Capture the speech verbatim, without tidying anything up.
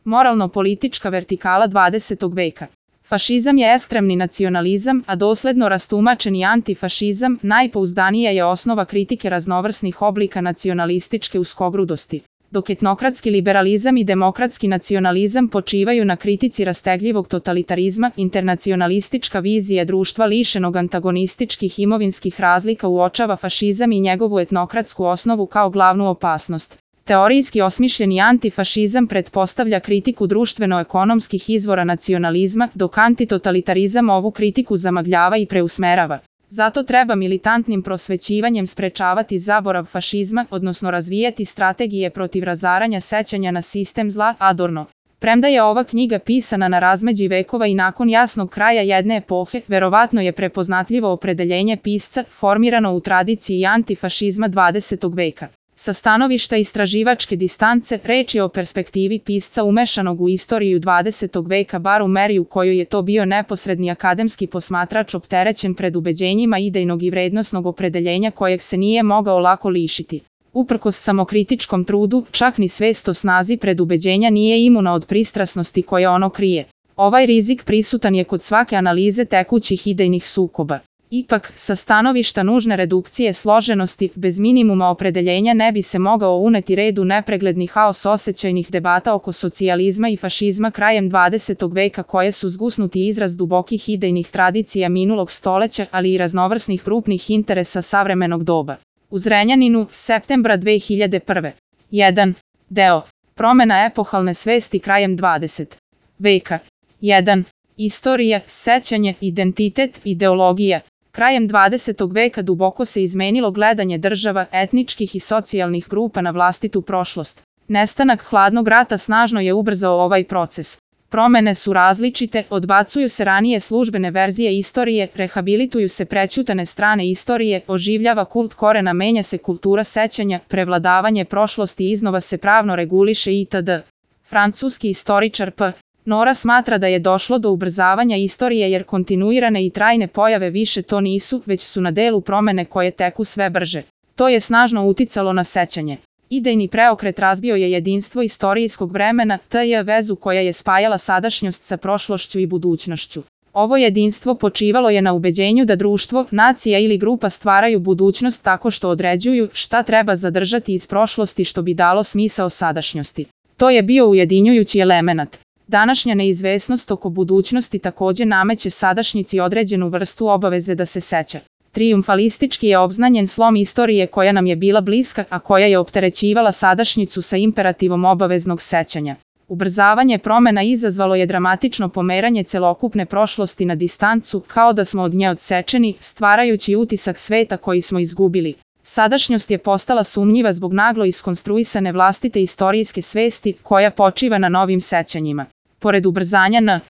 Moralno-politička vertikala dvadesetog veka. Fašizam je ekstremni nacionalizam, a dosledno rastumačeni antifašizam najpouzdanija je osnova kritike raznovrsnih oblika nacionalističke uskogrudosti. Dok etnokratski liberalizam i demokratski nacionalizam počivaju na kritici rastegljivog totalitarizma, internacionalistička vizija društva lišenog antagonističkih imovinskih razlika uočava fašizam i njegovu etnokratsku osnovu kao glavnu opasnost. Teorijski osmišljeni antifašizam pretpostavlja kritiku društveno-ekonomskih izvora nacionalizma, dok antitotalitarizam ovu kritiku zamagljava i preusmerava. Zato treba militantnim prosvećivanjem sprečavati zaborav fašizma, odnosno razvijati strategije protiv razaranja sećanja na sistem zla. Adorno. Premda je ova knjiga pisana na razmeđi vekova i nakon jasnog kraja jedne epohe, verovatno je prepoznatljivo opredeljenje pisca, formirano u tradiciji antifašizma dvadesetog veka. Sa stanovišta istraživačke distance, reč je o perspektivi pisca umešanog u istoriju dvadesetog veka, bar u meri u kojoj je to bio neposredni akademski posmatrač opterećen pred ubeđenjima idejnog i vrednosnog opredeljenja kojeg se nije mogao lako lišiti. Uprkos samokritičkom trudu, čak ni svest o snazi predubeđenja nije imuna od pristrasnosti koje ono krije. Ovaj rizik prisutan je kod svake analize tekućih idejnih sukoba. Ipak, sa stanovišta nužne redukcije složenosti, bez minimuma opredeljenja ne bi se mogao uneti red u nepregledni haos osjećajnih debata oko socijalizma i fašizma krajem dvadesetog veka koje su zgusnuti izraz dubokih idejnih tradicija minulog stoleća, ali i raznovrsnih grupnih interesa savremenog doba. U Zrenjaninu, septembra dve hiljade prve. jedan. Deo. Promena epohalne svesti krajem dvadesetog veka. jedan. Istorija, sećanje, identitet, ideologija. Krajem dvadesetog veka duboko se izmenilo gledanje država, etničkih i socijalnih grupa na vlastitu prošlost. Nestanak hladnog rata snažno je ubrzao ovaj proces. Promene su različite, odbacuju se ranije službene verzije istorije, rehabilituju se prećutane strane istorije, oživljava kult korena, menja se kultura sećanja, prevladavanje prošlosti iznova se pravno reguliše itd. Francuski istoričar P. Nora smatra da je došlo do ubrzavanja istorije jer kontinuirane i trajne pojave više to nisu, već su na delu promene koje teku sve brže. To je snažno uticalo na sećanje. Idejni preokret razbio je jedinstvo istorijskog vremena, tj. vezu koja je spajala sadašnjost sa prošlošću i budućnošću. Ovo jedinstvo počivalo je na ubeđenju da društvo, nacija ili grupa stvaraju budućnost tako što određuju šta treba zadržati iz prošlosti što bi dalo smisao sadašnjosti. To je bio ujedinjujući elemenat. Današnja neizvesnost oko budućnosti također nameće sadašnjici određenu vrstu obaveze da se seća. Trijumfalistički je obznanjen slom istorije koja nam je bila bliska, a koja je opterećivala sadašnjicu sa imperativom obaveznog sećanja. Ubrzavanje promena izazvalo je dramatično pomeranje celokupne prošlosti na distancu, kao da smo od nje odsečeni, stvarajući utisak sveta koji smo izgubili. Sadašnjost je postala sumnjiva zbog naglo iskonstruisane vlastite istorijske svesti, koja počiva na novim sećanjima. Pored ubrzanja N.